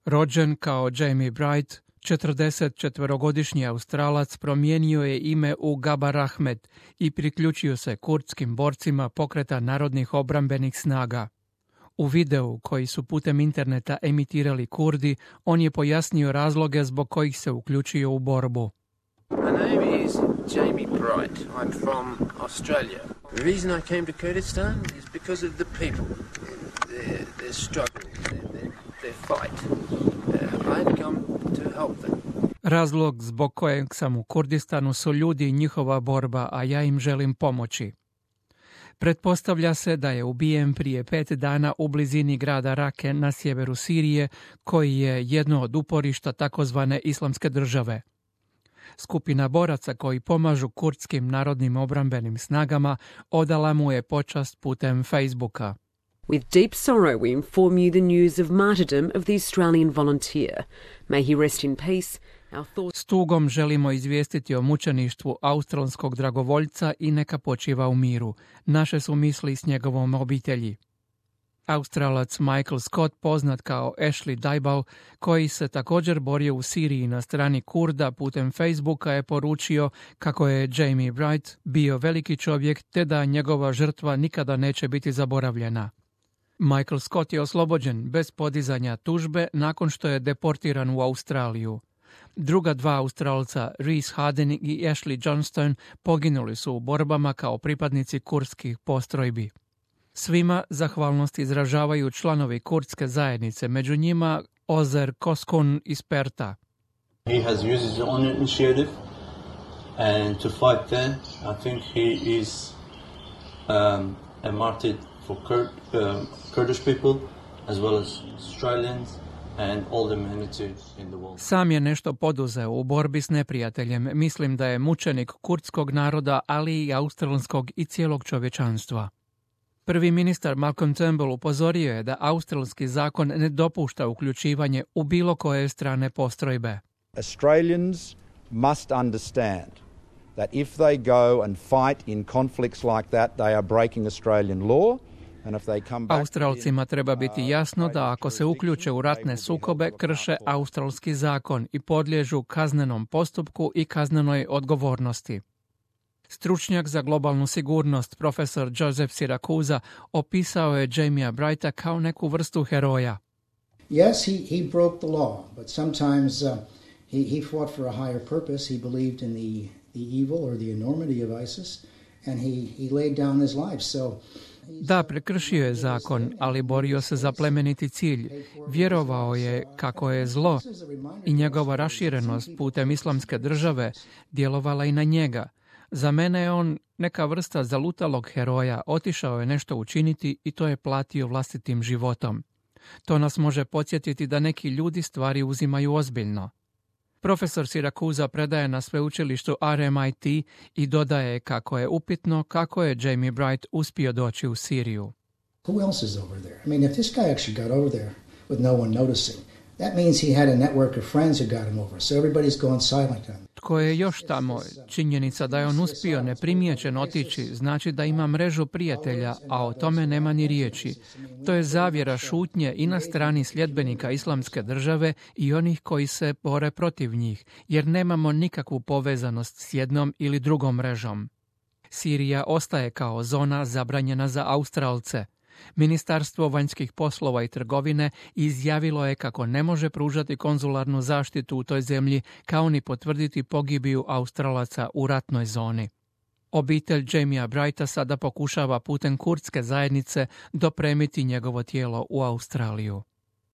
Rođen kao Jamie Bright, 44-godišnji Australac promijenio je ime u Gabar Ahmed i priključio se kurdskim borcima pokreta narodnih obrambenih snaga. U videu koji su putem interneta emitirali Kurdi, on je pojasnio razloge zbog kojih se uključio u borbu. My name is Jamie Bright. I'm from Australia. The reason I came to Kurdistan is because of the people, their struggle, their fight. I've come to help them. Razlog zbog kojeg sam u Kurdistanu su ljudi i njihova borba, a ja im želim pomoći. Pretpostavlja se da je ubijen prije 5 dana u blizini grada Rake na sjeveru Sirije, koji je jedno od uporišta takozvane Islamske države. Skupina boraca koji pomažu kurdskim narodnim obrambenim snagama odala mu je počast putem Facebooka. With deep sorrow we inform you the news of martyrdom of the Australian volunteer. May he rest in peace. S tugom želimo izvijestiti o mučeništvu australskog dragovoljca i neka počiva u miru. Naše su misli s njegovom obitelji. Australac Michael Scott, poznat kao Ashley Dybal, koji se također borio u Siriji na strani Kurda putem Facebooka, je poručio kako je Jamie Bright bio veliki čovjek te da njegova žrtva nikada neće biti zaboravljena. Michael Scott je oslobođen bez podizanja tužbe nakon što je deportiran u Australiju. Druga dva Australca, Reese Harden i Ashley Johnston, poginuli su u borbama kao pripadnici kurdskih postrojbi. Svima zahvalnost izražavaju članovi kurdske zajednice, među njima Ozer Koskun iz Perta. He has used his own initiative and to fight there. I think he is a martyr for Kurdish people as well as Australians and all the humanity in the world. Sam je nešto poduzeo u borbi s neprijateljem. Mislim da je mučenik kurdskog naroda, ali i australskog i cijelog čovječanstva. Prvi ministar Malcolm Turnbull upozorio je da australski zakon ne dopušta uključivanje u bilo koje strane postrojbe. Australians must understand that if they go and fight in conflicts like that, they are breaking Australian law. Australcima treba biti jasno da ako se uključe u ratne sukobe, krše australski zakon i podliježu kaznenom postupku i kaznenoj odgovornosti. Stručnjak za globalnu sigurnost, profesor Joseph Siracusa, opisao je Jamia Brighta kao neku vrstu heroja. Yes, he broke the law, but sometimes he fought for a higher purpose. He believed in the evil or the enormity of ISIS, and he laid down his life. Da, prekršio je zakon, ali borio se za plemeniti cilj. Vjerovao je kako je zlo i njegova raširenost putem Islamske države djelovala i na njega. Za mene je on neka vrsta zalutalog heroja, otišao je nešto učiniti i to je platio vlastitim životom. To nas može podsjetiti da neki ljudi stvari uzimaju ozbiljno. Profesor Siracusa predaje na sveučilištu RMIT i dodaje kako je upitno kako je Jamie Bright uspio doći u Siriju. Who else is over there? I mean, if this guy actually got over there with no one noticing, that means he had a network of friends who got him over, so everybody's gone silent on him. Tko je još tamo? Činjenica da je on uspio neprimjećen otići znači da ima mrežu prijatelja, a o tome nema ni riječi. To je zavjera šutnje i na strani sljedbenika Islamske države i onih koji se bore protiv njih, jer nemamo nikakvu povezanost s jednom ili drugom mrežom. Sirija ostaje kao zona zabranjena za Australce. Ministarstvo vanjskih poslova i trgovine izjavilo je kako ne može pružati konzularnu zaštitu u toj zemlji, kao ni potvrditi pogibiju Australaca u ratnoj zoni. Obitelj Jamia Brighta sada pokušava putem kurdske zajednice dopremiti njegovo tijelo u Australiju.